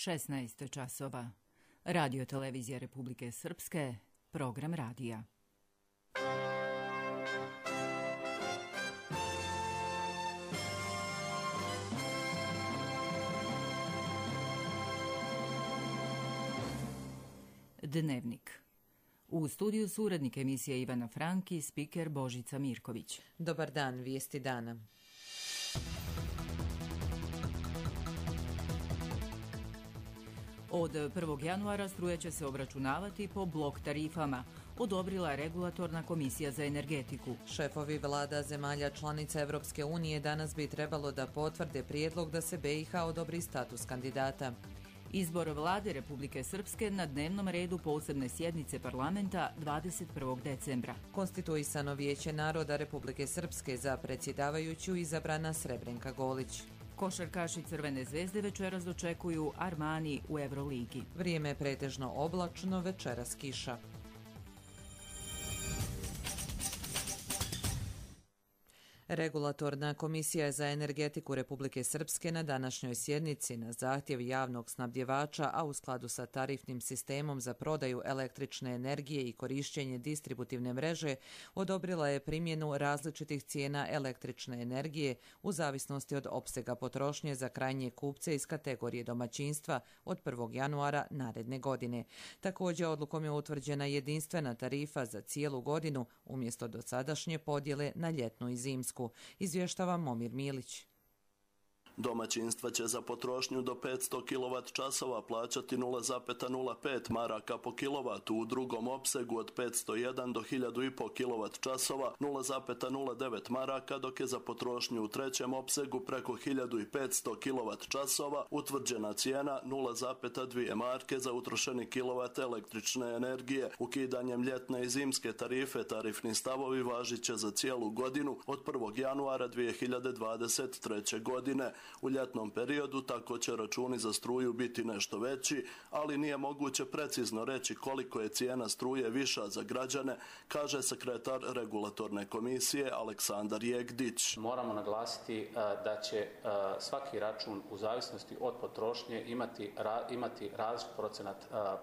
16 časova. Radio televizija Republike Srpske, program radija. Dnevnik. U studiju su urednik emisije Ivana Frank i spiker Božica Mirković. Dobar dan, vijesti dana. Od 1. januara struja će se obračunavati po blok tarifama, odobrila je Regulatorna komisija za energetiku. Šefovi vlada zemalja članica Evropske unije danas bi trebalo da potvrde prijedlog da se BiH odobri status kandidata. Izbor vlade Republike Srpske na dnevnom redu posebne sjednice parlamenta 21. decembra. Konstituisano vijeće naroda Republike Srpske za predsjedavajuću izabrana Srebrenka Golić. Košarkaši Crvene zvezde večeras dočekuju Armani u Euroligi. Vrijeme je pretežno oblačno, večeras kiša. Regulatorna komisija za energetiku Republike Srpske na današnjoj sjednici na zahtjev javnog snabdjevača, a u skladu sa tarifnim sistemom za prodaju električne energije i korišćenje distributivne mreže, odobrila je primjenu različitih cijena električne energije u zavisnosti od opsega potrošnje za krajnje kupce iz kategorije domaćinstva od 1. januara naredne godine. Također, odlukom je utvrđena jedinstvena tarifa za cijelu godinu umjesto dosadašnje podjele na ljetnu i zimsku. Izvještava Momir Milić. Domaćinstva će za potrošnju do 500 kWh plaćati 0,05 maraka po kilovatu, u drugom opsegu od 501 do 1000,5 kWh 0,09 maraka, dok je za potrošnju u trećem opsegu preko 1500 kWh utvrđena cijena 0,2 marke za utrošeni kilovat električne energije. Ukidanjem ljetne i zimske tarife tarifni stavovi važit će za cijelu godinu od 1. januara 2023. godine. U ljetnom periodu tako će računi za struju biti nešto veći, ali nije moguće precizno reći koliko je cijena struje viša za građane, kaže sekretar Regulatorne komisije Aleksandar Jegdić. Moramo naglasiti da će svaki račun u zavisnosti od potrošnje imati različit procenat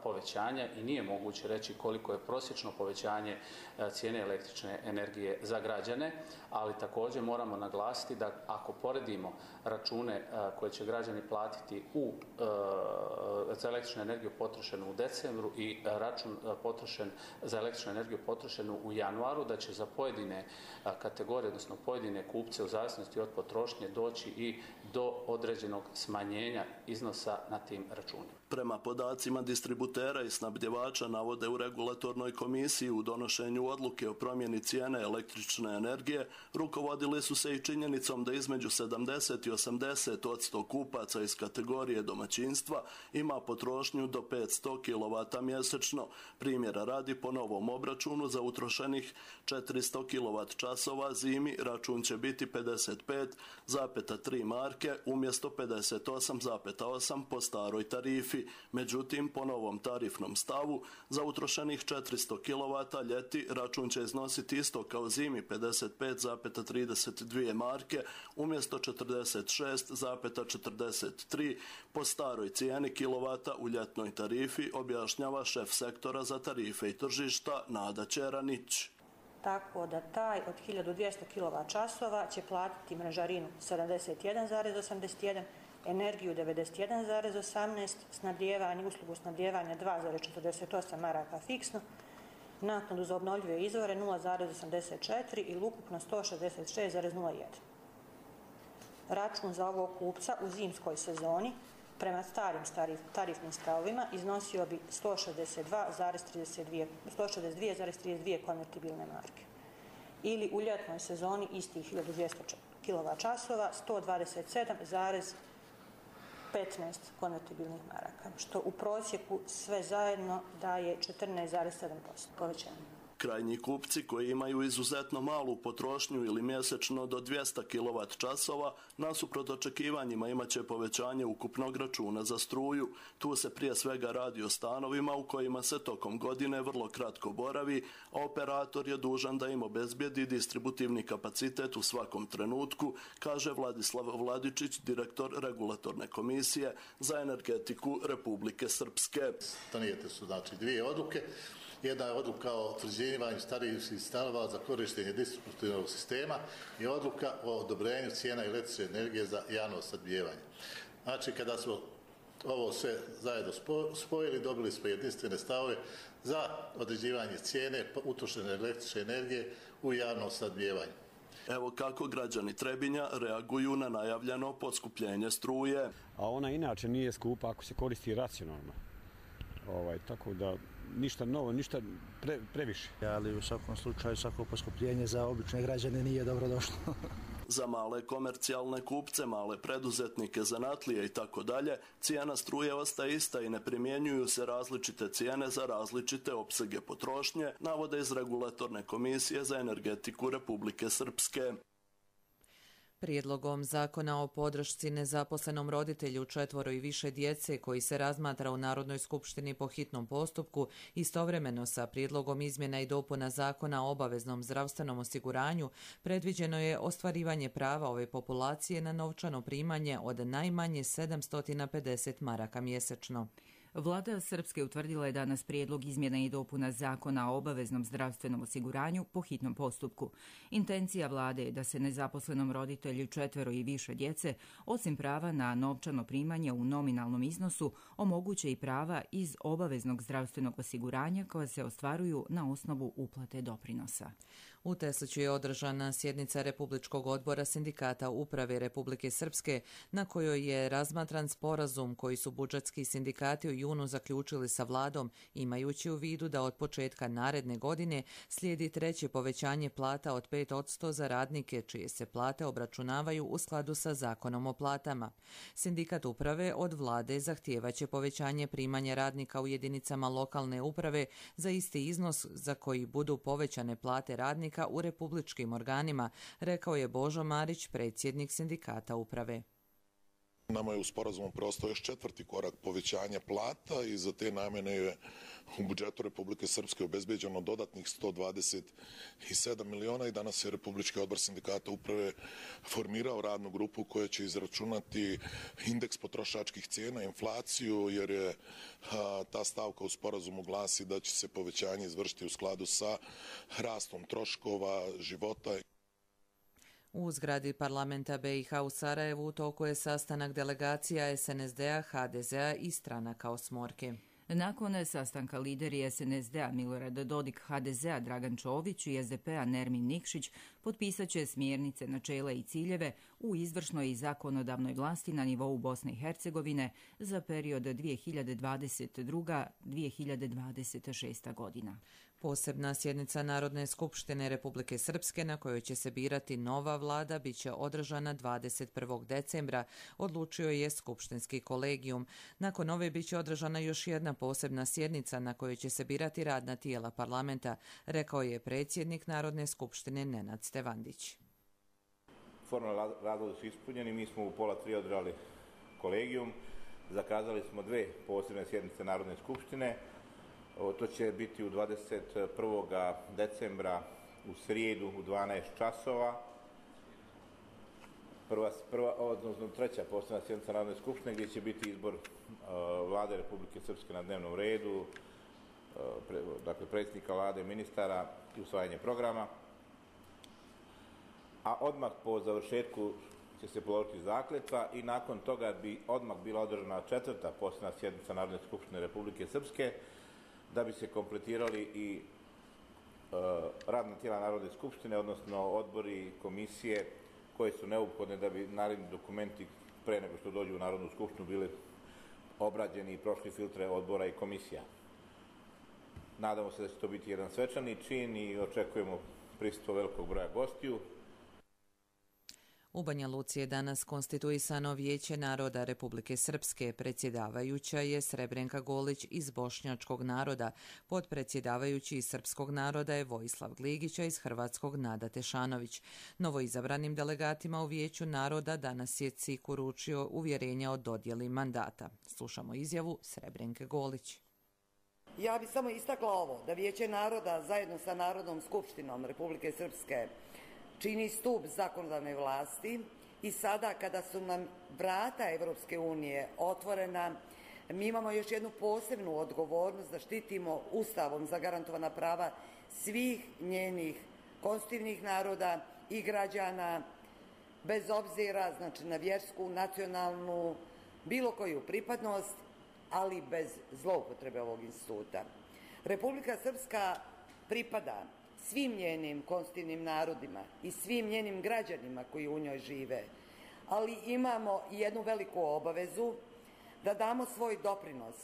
povećanja i nije moguće reći koliko je prosječno povećanje cijene električne energije za građane, ali također moramo naglasiti da ako poredimo račune koje će građani platiti za električnu energiju potrošenu u decembru i račun potrošen za električnu energiju potrošenu u januaru, da će za pojedine kategorije, odnosno pojedine kupce u zavisnosti od potrošnje doći i do određenog smanjenja iznosa na tim računima. Prema podacima distributera i snabdjevača navode u Regulatornoj komisiji u donošenju odluke o promjeni cijene električne energije rukovodili su se i činjenicom da između 70 i 80% kupaca iz kategorije domaćinstva ima potrošnju do 500 kW mjesečno. Primjera radi, po novom obračunu za utrošenih 400 kWh zimi račun će biti 55,3 marke umjesto 58,8 po staroj tarifi. Međutim, po novom tarifnom stavu za utrošenih 400 kW ljeti račun će iznositi isto kao zimi 55,32 marke umjesto 46,43 po staroj cijeni kilovata u ljetnoj tarifi, objašnjava šef sektora za tarife i tržišta Nada Čeranić. Tako da taj od 1200 kWh će platiti mrežarinu 71,81, energiju 91,18, snabdijevanje, uslugu snabdijevanja 2,48 maraka fiksno, naknadu za obnovljive izvore 0,84 ili ukupno 166,01. Račun za ovog kupca u zimskoj sezoni prema starim tarifnim stavovima iznosio bi 162,32 konvertibilne marke. Ili u ljetnoj sezoni istih 1200 kWh 127,15 konvertibilnih maraka, što u prosjeku sve zajedno daje 14,7% povećanja. Krajnji kupci koji imaju izuzetno malu potrošnju ili mjesečno do 200 kWh nasuprot očekivanjima imat će povećanje ukupnog računa za struju. Tu se prije svega radi o stanovima u kojima se tokom godine vrlo kratko boravi, a operator je dužan da im obezbijedi distributivni kapacitet u svakom trenutku, kaže Vladislav Vladičić, direktor Regulatorne komisije za energetiku Republike Srpske. Donijete su znači dvije odluke. Jedna je odluka o utvrđivanju starih stanova za korištenje distributivnog sistema i odluka o odobrenju cijena električne energije za javno snabdijevanje. Znači, kada smo ovo sve zajedno spojili, dobili smo jedinstvene stavove za određivanje cijene utrošene električne energije u javnom snabdijevanju. Evo kako građani Trebinja reaguju na najavljeno poskupljenje struje. A ona inače nije skupa ako se koristi racionalno. Tako da ništa novo, ništa previše. Ali u svakom slučaju svako poskupljenje za obične građane nije dobro došlo. Za male komercijalne kupce, male preduzetnike, zanatlije i tako dalje, cijena struje ostaje ista i ne primjenjuju se različite cijene za različite opsege potrošnje, navode iz Regulatorne komisije za energetiku Republike Srpske. Prijedlogom zakona o podršci nezaposlenom roditelju 4 i više djece koji se razmatra u Narodnoj skupštini po hitnom postupku, istovremeno sa prijedlogom izmjena i dopuna zakona o obaveznom zdravstvenom osiguranju, predviđeno je ostvarivanje prava ove populacije na novčano primanje od najmanje 750 maraka mjesečno. Vlada Srpske utvrdila je danas prijedlog izmjena i dopuna zakona o obaveznom zdravstvenom osiguranju po hitnom postupku. Intencija vlade je da se nezaposlenom roditelju 4 i više djece, osim prava na novčano primanje u nominalnom iznosu, omoguće i prava iz obaveznog zdravstvenog osiguranja koja se ostvaruju na osnovu uplate doprinosa. U Tesliću je održana sjednica Republičkog odbora sindikata uprave Republike Srpske, na kojoj je razmatran sporazum koji su budžetski sindikati u junu zaključili sa vladom, imajući u vidu da od početka naredne godine slijedi treće povećanje plata od 5% za radnike, čije se plate obračunavaju u skladu sa zakonom o platama. Sindikat uprave od vlade zahtijevaće povećanje primanja radnika u jedinicama lokalne uprave za isti iznos za koji budu povećane plate radnika u republičkim organima, rekao je Božo Marić, predsjednik sindikata uprave. Nama je u sporazumu preostao još 4. korak povećanja plata i za te namjene je u budžetu Republike Srpske obezbeđeno dodatnih 127 miliona i danas je Republički odbor sindikata uprave formirao radnu grupu koja će izračunati indeks potrošačkih cijena, inflaciju, jer je ta stavka u sporazumu glasi da će se povećanje izvršiti u skladu sa rastom troškova života. U zgradi parlamenta BiH u Sarajevu u toku je sastanak delegacija SNSD-a, HDZ-a i stranaka Osmorke. Nakon sastanka lideri SNSD-a Milorad Dodik, HDZ-a Dragan Čović i SDP-a Nermin Nikšić potpisat će smjernice, načela i ciljeve u izvršnoj i zakonodavnoj vlasti na nivou Bosne i Hercegovine za period 2022-2026 godina. Posebna sjednica Narodne skupštine Republike Srpske na kojoj će se birati nova vlada biće održana 21. decembra, odlučio je skupštinski kolegijum. Nakon ove biće održana još jedna posebna sjednica na kojoj će se birati radna tijela parlamenta, rekao je predsjednik Narodne skupštine Nenad Stevandić. Formalni razlozi su ispunjeni, mi smo u 2:30 održali kolegijum, zakazali smo 2 posebne sjednice Narodne skupštine. To će biti u 21. decembra u srijedu u 12 časova. Treća posebna sjednica Narodne skupštine gdje će biti izbor vlade Republike Srpske na dnevnom redu, dakle predsjednika vlade, ministara i usvajanje programa. A odmah po završetku će se položiti zakletva i nakon toga bi odmah bila održana 4. posebna sjednica Narodne skupštine Republike Srpske, da bi se kompletirali i radna tijela Narodne skupštine, odnosno odbori, komisije koje su neophodne da bi naredni dokumenti pre nego što dođu u Narodnu skupštinu bili obrađeni i prošli filtre odbora i komisija. Nadamo se da će to biti jedan svečani čin i očekujemo prisustvo velikog broja gostiju. U Banja Luci je danas konstituisano Vijeće naroda Republike Srpske. Predsjedavajuća je Srebrenka Golić iz Bošnjačkog naroda. Potpredsjedavajući iz Srpskog naroda je Vojislav Gligić, iz Hrvatskog Nada Tešanović. Novoizabranim delegatima u Vijeću naroda danas je CIK uručio uvjerenja o dodjeli mandata. Slušamo izjavu Srebrenke Golić. Ja bih samo istakla ovo, da Vijeće naroda zajedno sa Narodnom skupštinom Republike Srpske čini stup zakonodavne vlasti i sada kada su nam vrata Evropske unije otvorena, mi imamo još jednu posebnu odgovornost da štitimo Ustavom zagarantovana prava svih njenih konstitutivnih naroda i građana, bez obzira na vjersku, nacionalnu, bilo koju pripadnost, ali bez zloupotrebe ovog instituta. Republika Srpska pripada svim njenim konstitutivnim narodima i svim njenim građanima koji u njoj žive, ali imamo i jednu veliku obavezu da damo svoj doprinos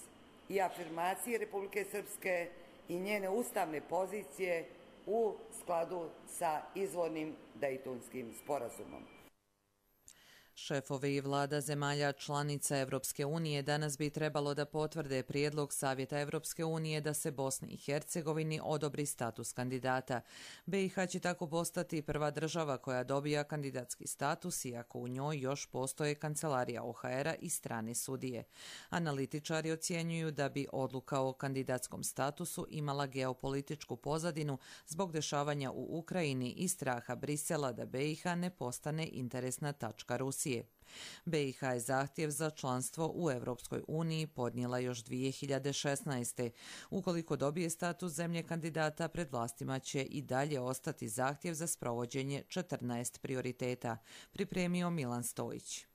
i afirmaciji Republike Srpske i njene ustavne pozicije u skladu sa izvornim Dejtonskim sporazumom. Šefovi vlada zemalja članica Evropske unije danas bi trebalo da potvrde prijedlog Savjeta Evropske unije da se Bosni i Hercegovini odobri status kandidata. BiH će tako postati prva država koja dobija kandidatski status, iako u njoj još postoje kancelarija OHR-a i strane sudije. Analitičari ocjenjuju da bi odluka o kandidatskom statusu imala geopolitičku pozadinu zbog dešavanja u Ukrajini i straha Brisela da BiH ne postane interesna tačka Rusije. BiH je zahtjev za članstvo u Evropskoj uniji podnijela još 2016. Ukoliko dobije status zemlje kandidata, pred vlastima će i dalje ostati zahtjev za sprovođenje 14 prioriteta, pripremio Milan Stojić.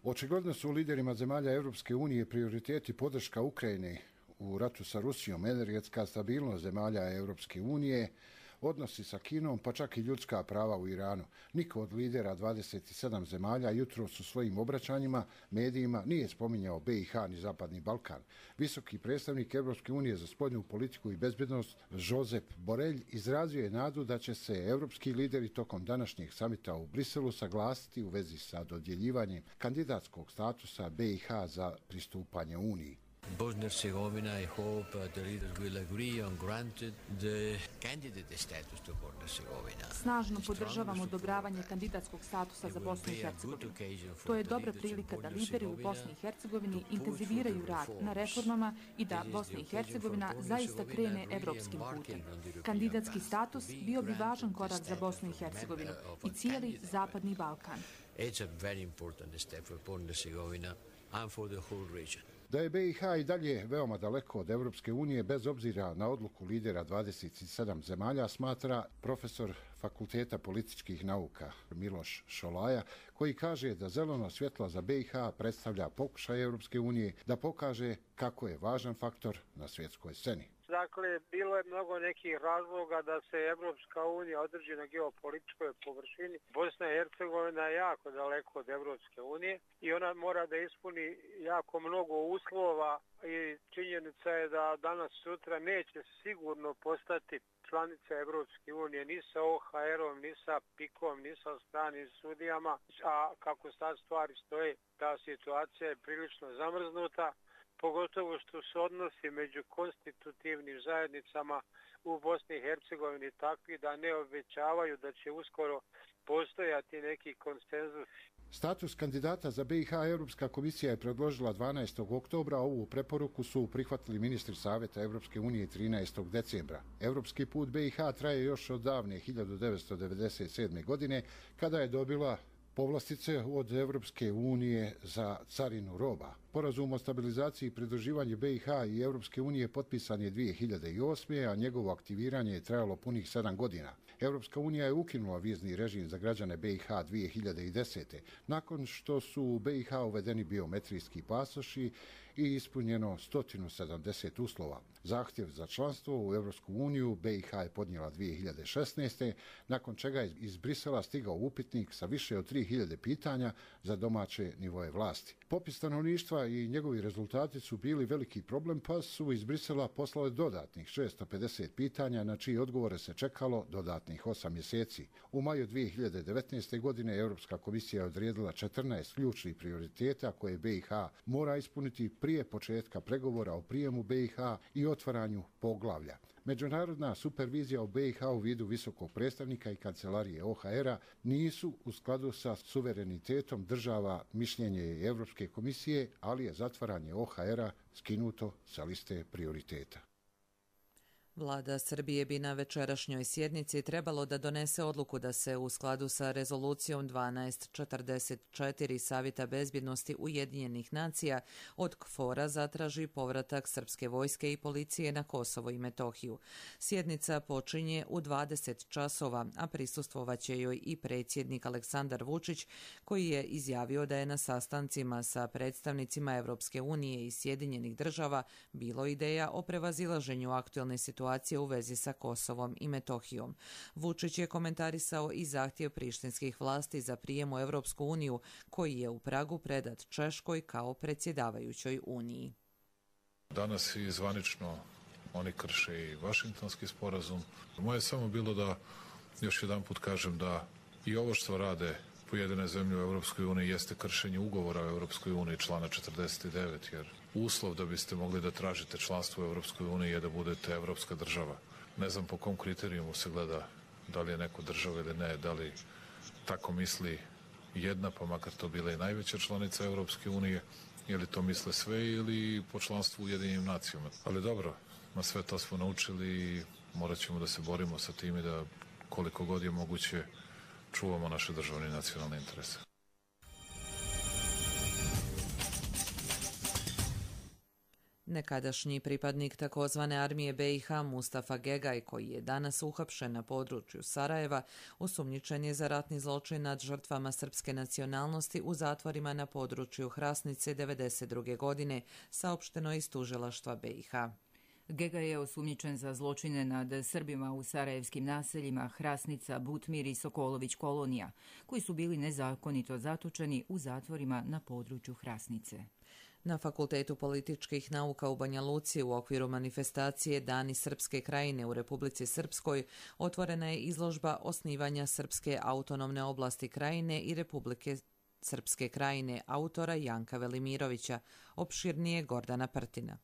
Očigledno su liderima zemalja Evropske unije prioriteti podrška Ukrajini u ratu sa Rusijom, energetska stabilnost zemalja Evropske unije, odnosi sa Kinom, pa čak i ljudska prava u Iranu. Niko od lidera 27 zemalja jutros u svojim obraćanjima medijima nije spominjao BiH ni Zapadni Balkan. Visoki predstavnik Evropske unije za spoljnu politiku i bezbednost Josep Borrell izrazio je nadu da će se evropski lideri tokom današnjeg samita u Briselu saglasiti u vezi sa dodjeljivanjem kandidatskog statusa BiH za pristupanje Uniji. Bosnia and Herzegovina, I hope the leaders will agree on granted the candidate status to Bosnia and Herzegovina. Snažno podržavamo odobravanje kandidatskog statusa za Bosnu i Hercegovinu. To je dobra prilika da lideri u Bosni i Hercegovini intenziviraju rad na reformama i da Bosna i Hercegovina zaista krene evropskim putem. Kandidatski status bio bi važan korak za Bosnu i Hercegovinu i cijeli Zapadni Balkan. It's a very important step for Bosnia and Herzegovina and for the whole region. Da je BiH i dalje veoma daleko od Evropske unije, bez obzira na odluku lidera 27 zemalja, smatra profesor Fakulteta političkih nauka Miloš Šolaja, koji kaže da zeleno svjetlo za BiH predstavlja pokušaj Evropske unije da pokaže kako je važan faktor na svjetskoj sceni. Dakle, bilo je mnogo nekih razloga da se Evropska unija održi na geopolitičkoj površini. Bosna i Hercegovina je jako daleko od Evropske unije i ona mora da ispuni jako mnogo uslova i činjenica je da danas sutra neće sigurno postati članica Evropske unije ni sa OHR-om, ni sa PIK-om, ni sa stranim sudijama, a kako sad stvari stoje, ta situacija je prilično zamrznuta. Pogotovo što su odnosi među konstitutivnim zajednicama u Bosni i Hercegovini takvi da ne obećavaju da će uskoro postojati neki konsenzus. Status kandidata za BiH Europska komisija je predložila 12. oktobra, a ovu preporuku su prihvatili ministri Savjeta Evropske unije 13. decembra. Evropski put BiH traje još od davne 1997. godine, kada je dobila povlastice od Evropske unije za carinu roba. Sporazum o stabilizaciji i pridruživanju BiH i Evropske unije potpisan je 2008. a njegovo aktiviranje je trajalo punih 7 godina. Evropska unija je ukinula vizni režim za građane BiH 2010. nakon što su u BiH uvedeni biometrijski pasoši i ispunjeno 170 uslova. Zahtjev za članstvo u Europsku uniju BiH je podnijela 2016. nakon čega je iz Brisela stigao upitnik sa više od 3000 pitanja za domaće nivoje vlasti. Popis stanovništva i njegovi rezultati su bili veliki problem, pa su iz Brisela poslali dodatnih 650 pitanja na čiji odgovore se čekalo dodatnih 8 mjeseci. U maju 2019. godine Europska komisija je odredila 14 ključnih prioriteta koje BiH mora ispuniti prije početka pregovora o prijemu BiH i otvaranju poglavlja. Međunarodna supervizija u BiH u vidu visokog predstavnika i kancelarije OHR-a nisu u skladu sa suverenitetom država, mišljenje je Europske komisije, ali je zatvaranje OHR-a skinuto sa liste prioriteta. Vlada Srbije bi na večerašnjoj sjednici trebalo da donese odluku da se u skladu sa rezolucijom 1244 Savjeta bezbjednosti Ujedinjenih nacija od KFOR-a zatraži povratak srpske vojske i policije na Kosovo i Metohiju. Sjednica počinje u 20 časova, a prisustvovaće joj i predsjednik Aleksandar Vučić, koji je izjavio da je na sastancima sa predstavnicima Evropske unije i Sjedinjenih država bilo ideja o prevazilaženju aktuelne situacije u vezi sa Kosovom i Metohijom. Vučić je komentarisao i zahtjev prištinskih vlasti za prijem u Evropsku uniju, koji je u Pragu predat Češkoj kao predsjedavajućoj Uniji. Danas i zvanično oni krše i Vašingtonski sporazum. Moje je samo bilo da još jedan put kažem da i ovo što rade pojedine zemlje u Evropskoj uniji jeste kršenje ugovora u Evropskoj uniji člana 49, jer uslov da biste mogli da tražite članstvo u Evropskoj uniji je da budete evropska država. Ne znam po kom kriterijumu se gleda da li je neko država ili ne, da li tako misli jedna, pa makar to bila i najveća članica Evropske unije, ili to misle sve ili po članstvu u Ujedinjenim nacijama. Ali dobro, na sve to smo naučili i morat ćemo da se borimo sa tim i da koliko god je moguće čuvamo naše državne i nacionalne interese. Nekadašnji pripadnik takozvane armije BiH Mustafa Gegaj, koji je danas uhapšen na području Sarajeva, osumnjičen je za ratni zločin nad žrtvama srpske nacionalnosti u zatvorima na području Hrasnice 1992. godine, saopšteno iz tužilaštva BiH. Gegaj je osumnjičen za zločine nad Srbima u sarajevskim naseljima Hrasnica, Butmir i Sokolović kolonija, koji su bili nezakonito zatočeni u zatvorima na području Hrasnice. Na Fakultetu političkih nauka u Banja Luci u okviru manifestacije Dani Srpske krajine u Republici Srpskoj otvorena je izložba osnivanja Srpske autonomne oblasti krajine i Republike Srpske krajine autora Janka Velimirovića, opširnije Gordana Prtina.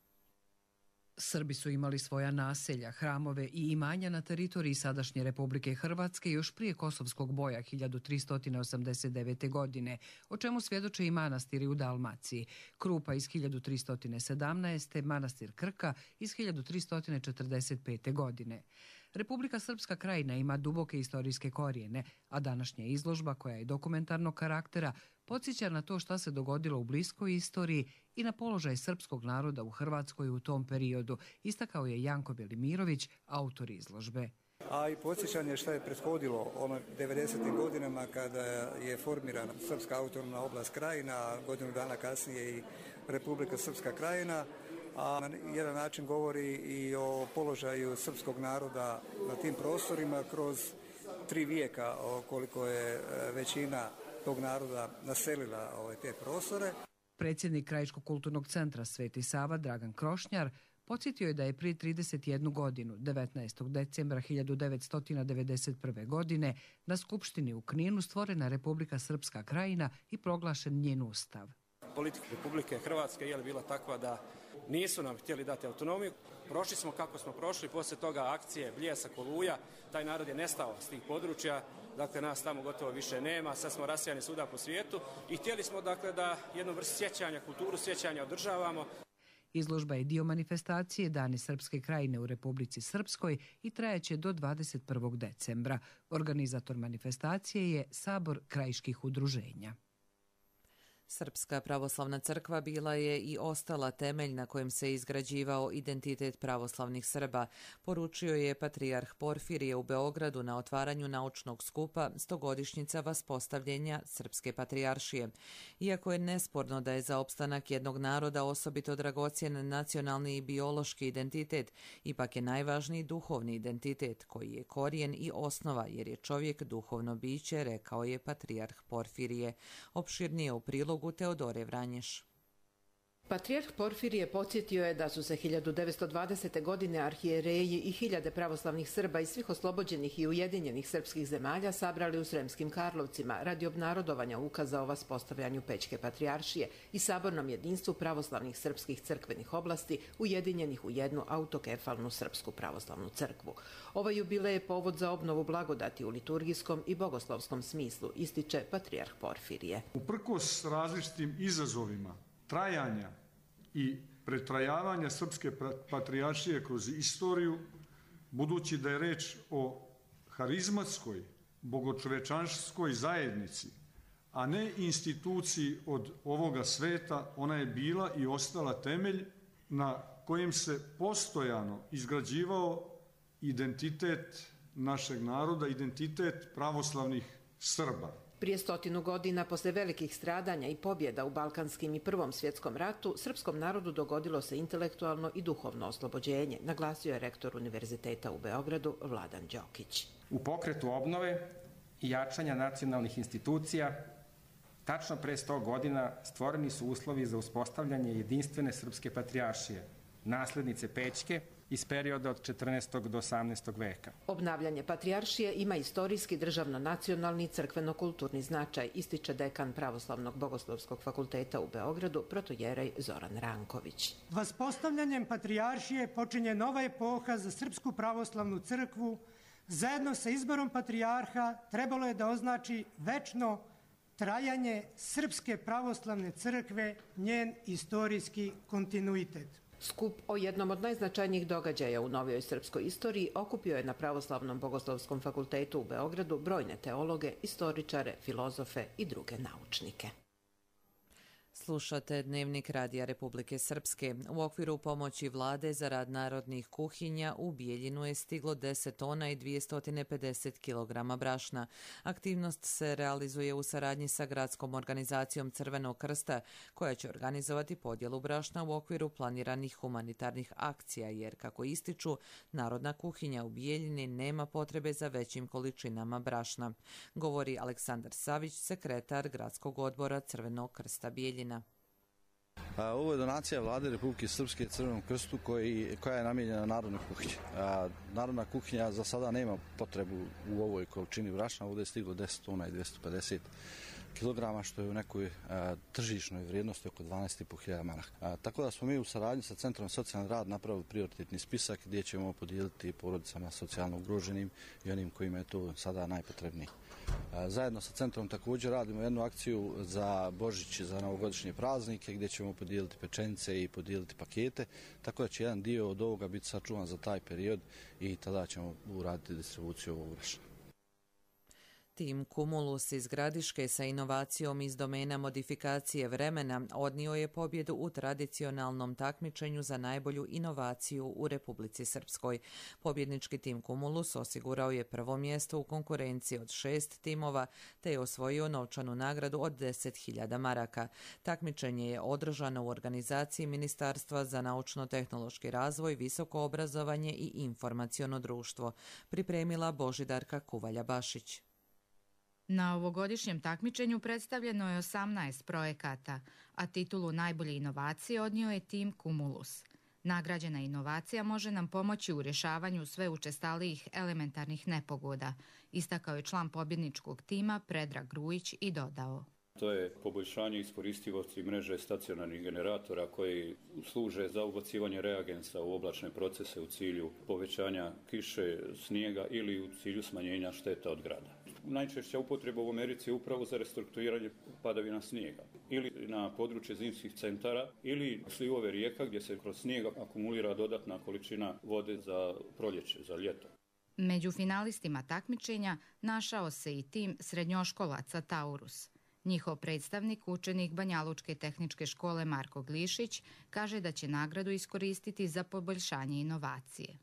Srbi su imali svoja naselja, hramove i imanja na teritoriji sadašnje Republike Hrvatske još prije Kosovskog boja 1389. godine, o čemu svjedoče i manastiri u Dalmaciji. Krupa iz 1317. manastir Krka iz 1345. godine. Republika Srpska krajina ima duboke istorijske korijene, a današnja izložba, koja je dokumentarnog karaktera, podsjeća na to šta se dogodilo u bliskoj istoriji i na položaj srpskog naroda u Hrvatskoj u tom periodu, istakao je Janko Velimirović, autor izložbe. A i podsjećanje šta je prethodilo ono 90. godinama kada je formirana Srpska autonomna oblast krajina, godinu dana kasnije i Republika Srpska krajina, a na jedan način govori i o položaju srpskog naroda na tim prostorima kroz 3 vijeka koliko je većina tog naroda naselila te prostore. Predsjednik Krajiškog kulturnog centra Sveti Sava Dragan Krošnjar podsjetio je da je prije 31 godinu, 19. decembra 1991. godine, na Skupštini u Kninu stvorena Republika Srpska krajina i proglašen njen ustav. Politika Republike Hrvatske je bila takva da nisu nam htjeli dati autonomiju. Prošli smo kako smo prošli, poslije toga akcije Bljesak, Oluja, taj narod je nestao s tih područja, dakle nas tamo gotovo više nema, sad smo rasijani svuda po svijetu i htjeli smo dakle da jednu vrstu sjećanja, kulturu sjećanja održavamo. Izložba je dio manifestacije Dani Srpske krajine u Republici Srpskoj i trajaće do 21. decembra. Organizator manifestacije je Sabor krajiških udruženja. Srpska pravoslavna crkva bila je i ostala temelj na kojem se izgrađivao identitet pravoslavnih Srba, poručio je patrijarh Porfirije u Beogradu na otvaranju naučnog skupa 100-godišnjica vaspostavljenja Srpske patrijaršije. Iako je nesporno da je za opstanak jednog naroda osobito dragocjen nacionalni i biološki identitet, ipak je najvažniji duhovni identitet, koji je korijen i osnova, jer je čovjek duhovno biće, rekao je patrijarh Porfirije. Opširnije u prilogu Teodore Vranješ. Patrijarh Porfirije podsjetio je da su se 1920. godine arhijereji i hiljade pravoslavnih Srba iz svih oslobođenih i ujedinjenih srpskih zemalja sabrali u Sremskim Karlovcima radi obnarodovanja ukaza o vaspostavljanju Pećke patrijaršije i sabornom jedinstvu pravoslavnih srpskih crkvenih oblasti ujedinjenih u jednu autokefalnu Srpsku pravoslavnu crkvu. Ovaj jubilej je povod za obnovu blagodati u liturgijskom i bogoslovskom smislu, ističe patrijarh Porfirije. Uprkos različitim izazovima trajanja i pretrajavanja Srpske patrijaršije kroz istoriju, budući da je reč o harizmatskoj, bogočovečanskoj zajednici, a ne instituciji od ovoga sveta, ona je bila i ostala temelj na kojem se postojano izgrađivao identitet našeg naroda, identitet pravoslavnih Srba. Prije 100 godina, posle velikih stradanja i pobjeda u Balkanskim i Prvom svjetskom ratu, srpskom narodu dogodilo se intelektualno i duhovno oslobođenje, naglasio je rektor Univerziteta u Beogradu Vladan Đokić. U pokretu obnove i jačanja nacionalnih institucija, tačno pre 100 godina stvoreni su uslovi za uspostavljanje jedinstvene Srpske patrijaršije, naslednice Pećke, iz perioda od 14. do 18. veka. Obnavljanje patrijaršije ima istorijski, državno-nacionalni i crkveno-kulturni značaj, ističe dekan Pravoslavnog bogoslovskog fakulteta u Beogradu, protojerej Zoran Ranković. Vaspostavljanjem patrijaršije počinje nova epoha za Srpsku pravoslavnu crkvu. Zajedno sa izborom patrijarha trebalo je da označi večno trajanje Srpske pravoslavne crkve, njen istorijski kontinuitet. Skup o jednom od najznačajnijih događaja u novijoj srpskoj istoriji okupio je na Pravoslavnom bogoslovskom fakultetu u Beogradu brojne teologe, istoričare, filozofe i druge naučnike. Slušate Dnevnik Radija Republike Srpske. U okviru pomoći vlade za rad narodnih kuhinja u Bijeljinu je stiglo 10 tona i 250 kg brašna. Aktivnost se realizuje u saradnji sa gradskom organizacijom Crvenog krsta, koja će organizovati podjelu brašna u okviru planiranih humanitarnih akcija, jer, kako ističu, narodna kuhinja u Bijeljini nema potrebe za većim količinama brašna. Govori Aleksandar Savić, sekretar Gradskog odbora Crvenog krsta Bijeljina. Ovo je donacija vlade Republike Srpske Crvenom krstu koja je namijenjena narodnoj kuhinji. Narodna kuhinja za sada nema potrebu u ovoj količini brašna. Ovdje je stiglo 10 tona i 250 kilograma, što je u nekoj tržišnoj vrijednosti oko 12.500 maraka. Tako da smo mi u saradnji sa Centrom socijalni rad napravili prioritetni spisak gdje ćemo podijeliti porodicama socijalno ugroženim i onim kojima je to sada najpotrebnije. Zajedno sa centrom također radimo jednu akciju za Božić, za novogodišnje praznike, gdje ćemo podijeliti pečenice i podijeliti pakete, tako da će jedan dio od ovoga biti sačuvan za taj period i tada ćemo uraditi distribuciju ovog brašna. Tim Cumulus iz Gradiške sa inovacijom iz domena modifikacije vremena odnio je pobjedu u tradicionalnom takmičenju za najbolju inovaciju u Republici Srpskoj. Pobjednički tim Cumulus osigurao je prvo mjesto u konkurenciji od 6 timova, te je osvojio novčanu nagradu od 10.000 maraka. Takmičenje je održano u organizaciji Ministarstva za naučno-tehnološki razvoj, visoko obrazovanje i informaciono društvo. Pripremila Božidarka Kuvalja-Bašić. Na ovogodišnjem takmičenju predstavljeno je 18 projekata, a titulu najbolje inovacije odnio je tim Cumulus. Nagrađena inovacija može nam pomoći u rješavanju sve učestalijih elementarnih nepogoda, istakao je član pobjedničkog tima Predrag Grujić i dodao. To je poboljšanje iskoristivosti mreže stacionarnih generatora koji služe za ubacivanje reagensa u oblačne procese u cilju povećanja kiše, snijega ili u cilju smanjenja šteta od grada. Najčešća upotreba u Americi je upravo za restrukturiranje padavina snijega ili na područje zimskih centara ili slivove rijeka gdje se kroz snijeg akumulira dodatna količina vode za proljeće, za ljeto. Među finalistima takmičenja našao se i tim srednjoškolaca Taurus. Njihov predstavnik, učenik Banjalučke tehničke škole Marko Glišić, kaže da će nagradu iskoristiti za poboljšanje inovacije.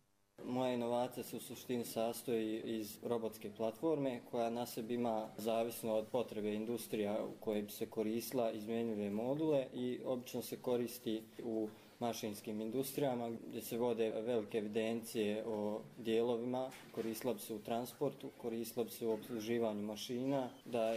Moja inovacija se u suštini sastoji iz robotske platforme koja na sebi ima, zavisno od potrebe industrija u kojoj bi se koristila, izmjenjive module i obično se koristi u mašinskim industrijama gdje se vode velike evidencije o dijelovima, koristila bi se u transportu, koristila bi se u obsluživanju mašina, da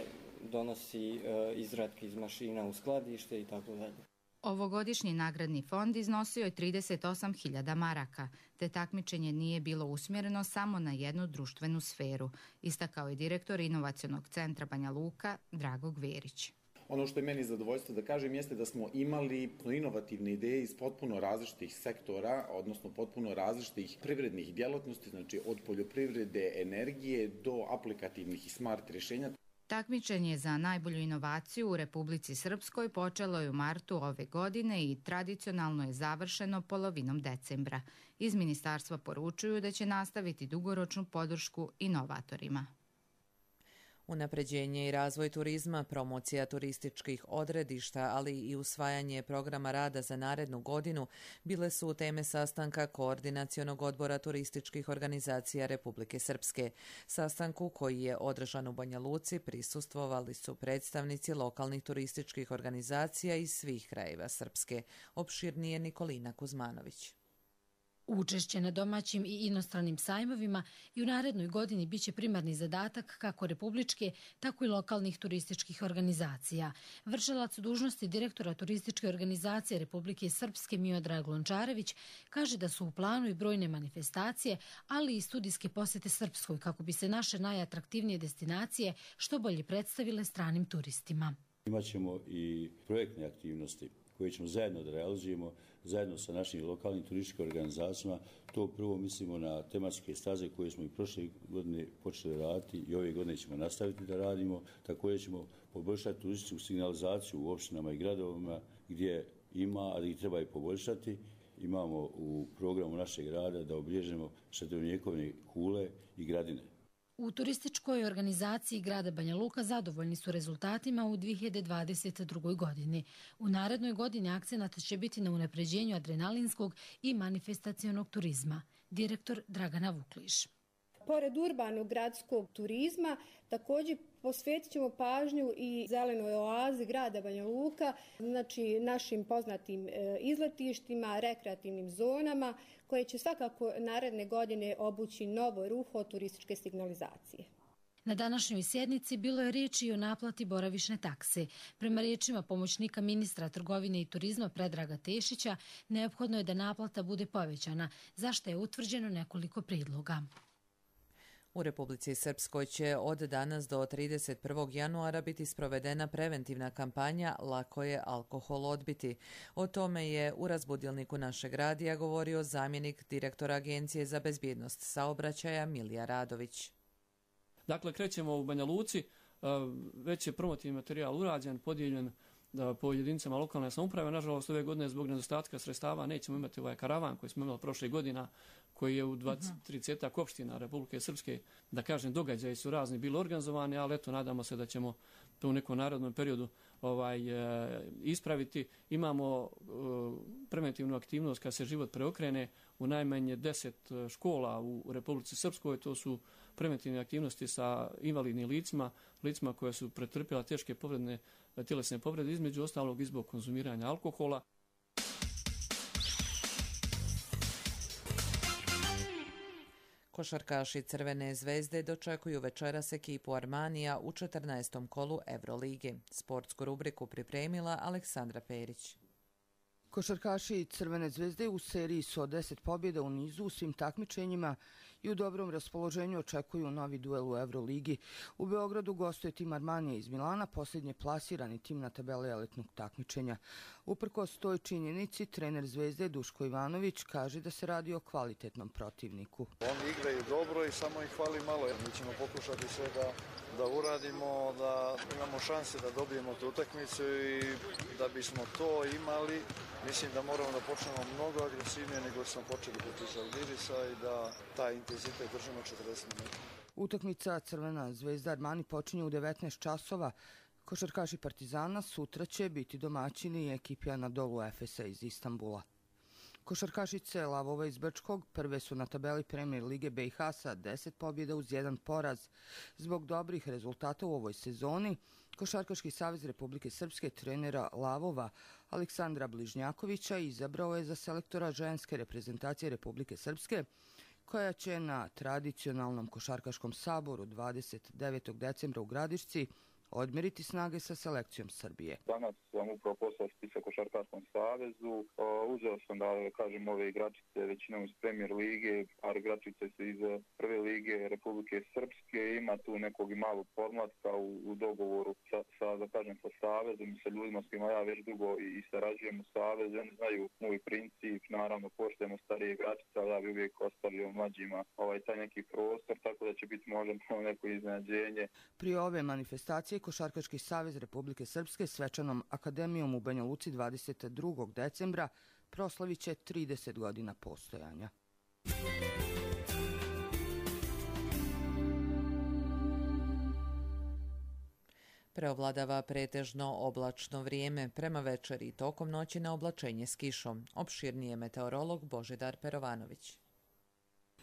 donosi izratke iz mašina u skladište i tako dalje. Ovogodišnji nagradni fond iznosio je 38.000 maraka, te takmičenje nije bilo usmjereno samo na jednu društvenu sferu, istakao je direktor Inovacionog centra Banja Luka Drago Gverić. Ono što je meni zadovoljstvo da kažem jeste da smo imali inovativne ideje iz potpuno različitih sektora, odnosno potpuno različitih privrednih djelatnosti, znači od poljoprivrede, energije do aplikativnih i smart rješenja. Takmičenje za najbolju inovaciju u Republici Srpskoj počelo je u martu ove godine i tradicionalno je završeno polovinom decembra. Iz ministarstva poručuju da će nastaviti dugoročnu podršku inovatorima. Unapređenje i razvoj turizma, promocija turističkih odredišta, ali i usvajanje programa rada za narednu godinu bile su teme sastanka Koordinacionog odbora turističkih organizacija Republike Srpske. Sastanku koji je održan u Banja Luci prisustvovali su predstavnici lokalnih turističkih organizacija iz svih krajeva Srpske. Opširnije Nikolina Kuzmanović. Učešće na domaćim i inostranim sajmovima i u narednoj godini biće primarni zadatak kako republičke, tako i lokalnih turističkih organizacija. Vršilac dužnosti direktora turističke organizacije Republike Srpske Miodrag Lončarević kaže da su u planu i brojne manifestacije, ali i studijske posjete Srpskoj kako bi se naše najatraktivnije destinacije što bolje predstavile stranim turistima. Imaćemo i projektne aktivnosti koje ćemo zajedno da realizujemo, zajedno sa našim lokalnim turističkim organizacijama. To prvo mislimo na tematske staze koje smo i prošle godine počeli raditi i ove godine ćemo nastaviti da radimo. Također ćemo poboljšati turističku signalizaciju u opštinama i gradovima gdje ima, ali ih treba i poboljšati. Imamo u programu našeg rada da obilježimo srednjovjekovne kule i gradine. U turističkoj organizaciji grada Banja Luka zadovoljni su rezultatima u 2022. godini. U narednoj godini akcenat će biti na unapređenju adrenalinskog i manifestacionog turizma. Direktor Dragana Vukliš. Pored urbanog gradskog turizma, također posvetit ćemo pažnju i zelenoj oazi grada Banja Luka, znači našim poznatim izletištima, rekreativnim zonama, koje će svakako naredne godine obući novo ruho turističke signalizacije. Na današnjoj sjednici bilo je riječi i o naplati boravišne takse. Prema riječima pomoćnika ministra trgovine i turizma Predraga Tešića, neophodno je da naplata bude povećana, za što je utvrđeno nekoliko prijedloga. U Republici Srpskoj će od danas do 31. januara biti sprovedena preventivna kampanja Lako je alkohol odbiti. O tome je u razbudilniku našeg radija govorio zamjenik direktora Agencije za bezbjednost saobraćaja Milija Radović. Dakle, krećemo u Banja Luci, već je promotivni materijal urađen, podijeljen po jedinicama lokalne samouprave. Nažalost, ove godine zbog nedostatka sredstava nećemo imati ovaj karavan koji smo imali prošle godina, koji je u 30 opština Republike Srpske, da kažem, događaji su razni bili organizovani, ali eto, nadamo se da ćemo to u nekom narodnom periodu ispraviti. Imamo preventivnu aktivnost kad se život preokrene u najmanje 10 škola u Republici Srpskoj. To su preventivne aktivnosti sa invalidnim licima koja su pretrpjela teške tjelesne povrede, između ostalog i zbog konzumiranja alkohola. Košarkaši Crvene zvezde dočekuju večeras ekipu Armanija u 14. kolu Evrolige. Sportsku rubriku pripremila Aleksandra Perić. Košarkaši Crvene zvezde u seriji su od 10 pobjeda u nizu u svim takmičenjima i u dobrom raspoloženju očekuju novi duel u Evroligi. U Beogradu gostuje tim Armanija iz Milana, posljednje plasirani tim na tabeli elitnog takmičenja. Uprkos toj činjenici, trener Zvezde Duško Ivanović kaže da se radi o kvalitetnom protivniku. Oni igraju dobro i samo ih hvali malo. Mi ćemo pokušati sve da uradimo, da imamo šanse da dobijemo tu utakmicu i da bismo to imali, mislim da moramo da počnemo mnogo agresivnije nego smo počeli protiv Žalgirisa i da taj intenzitet držimo 40 minuta. Utakmica Crvena zvezda Armani počinje u 19 časova Košarkaši Partizana sutra će biti domaćini ekipi Anadolu Efesa iz Istanbula. Košarkašice Lavova iz Brčkog prve su na tabeli Premier Lige BiH sa 10 pobjeda uz 1 poraz. Zbog dobrih rezultata u ovoj sezoni, Košarkaški savez Republike Srpske trenera Lavova Aleksandra Bližnjakovića izabrao je za selektora ženske reprezentacije Republike Srpske, koja će na tradicionalnom košarkaškom saboru 29. decembra u Gradišci odmeriti snage sa selekcijom Srbije. Danas sam upravo poslao spisak Košarkaškom savezu. Uzeo sam da kažem ove igračice većinom iz Premier lige, par igračice su iz prve lige Republike Srpske. Ima tu nekog i malog podmlatka u dogovoru sa savezom i sa ljudima s kojima ja već dugo i sarađujem u savezu. Oni znaju moj princip, naravno poštujemo starije igračice, ali ja bi uvijek ostavio mlađima taj neki prostor, tako da će biti možda neko iznenađenje. Prije ove manifestacije Košarkaški savez Republike Srpske svečanom akademijom u Banja Luci 22. decembra proslavit će 30 godina postojanja. Preovladava pretežno oblačno vrijeme, prema večeri i tokom noći na oblačenje s kišom. Opširnije meteorolog Božidar Perovanović.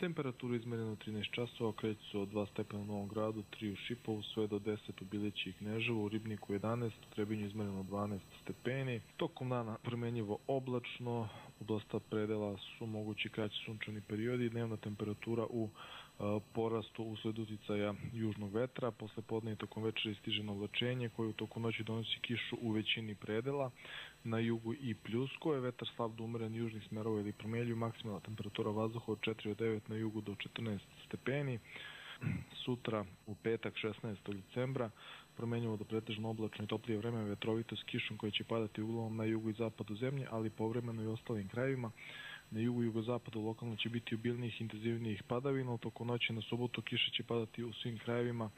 Temperaturu izmereno 13 časova kreću se od 2 stepena u Novom Gradu, 3 u Šipovu, sve do 10 u Bileći i Kneževu, u Ribniku 11, u Trebinju izmereno 12 stepeni. Tokom dana promenjivo oblačno, u dosta predela su mogući kraći sunčani periodi, dnevna temperatura u porastu usled uticaja južnog vetra. Posle podne i tokom večeri stiže na oblačenje koje u toku noći donosi kišu u većini predela. Na jugu i pljusko je vetar slab do umeren južnih smerova ili promenljiv, maksimalna temperatura vazduha od 4 do 9 na jugu do 14 stepeni. Sutra u petak 16. decembra promenjivo do pretežno oblačno i toplije vreme, vetrovito s kišom koja će padati uglavnom na jugu i zapadu zemlje, ali povremeno i ostalim krajevima. Na jugu i jugozapadu lokalno će biti obilnijih intenzivnijih padavina, u toku noći na subotu kiša će padati u svim krajevima,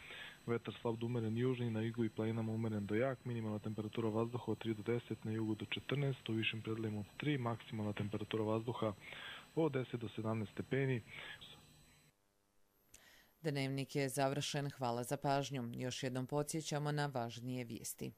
vetar slab do umeren južni, na jugu i planinama umeren do jak, minimalna temperatura vazduha od 3 do 10, na jugu do 14, u višim predelima od 3, maksimalna temperatura vazduha od 10 do 17 stepeni. Dnevnik je završen, hvala za pažnju. Još jednom podsjećamo na važnije vijesti.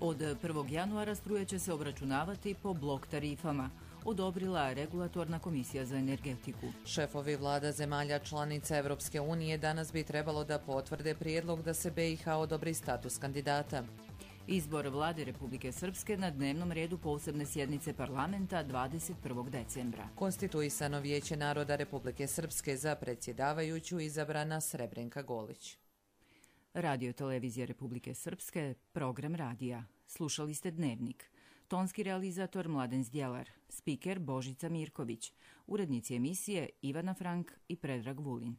Od 1. januara struje će se obračunavati po blok tarifama, odobrila Regulatorna komisija za energetiku. Šefovi vlada zemalja članica Evropske unije danas bi trebalo da potvrde prijedlog da se BiH odobri status kandidata. Izbor vlade Republike Srpske na dnevnom redu posebne sjednice parlamenta 21. decembra. Konstituisano Vijeće naroda Republike Srpske, za predsjedavajuću izabrana Srebrenka Golić. Radio televizija Republike Srpske, program radija. Slušali ste Dnevnik. Tonski realizator Mladen Zdjelar, spiker Božica Mirković, urednici emisije Ivana Frank i Predrag Vulin.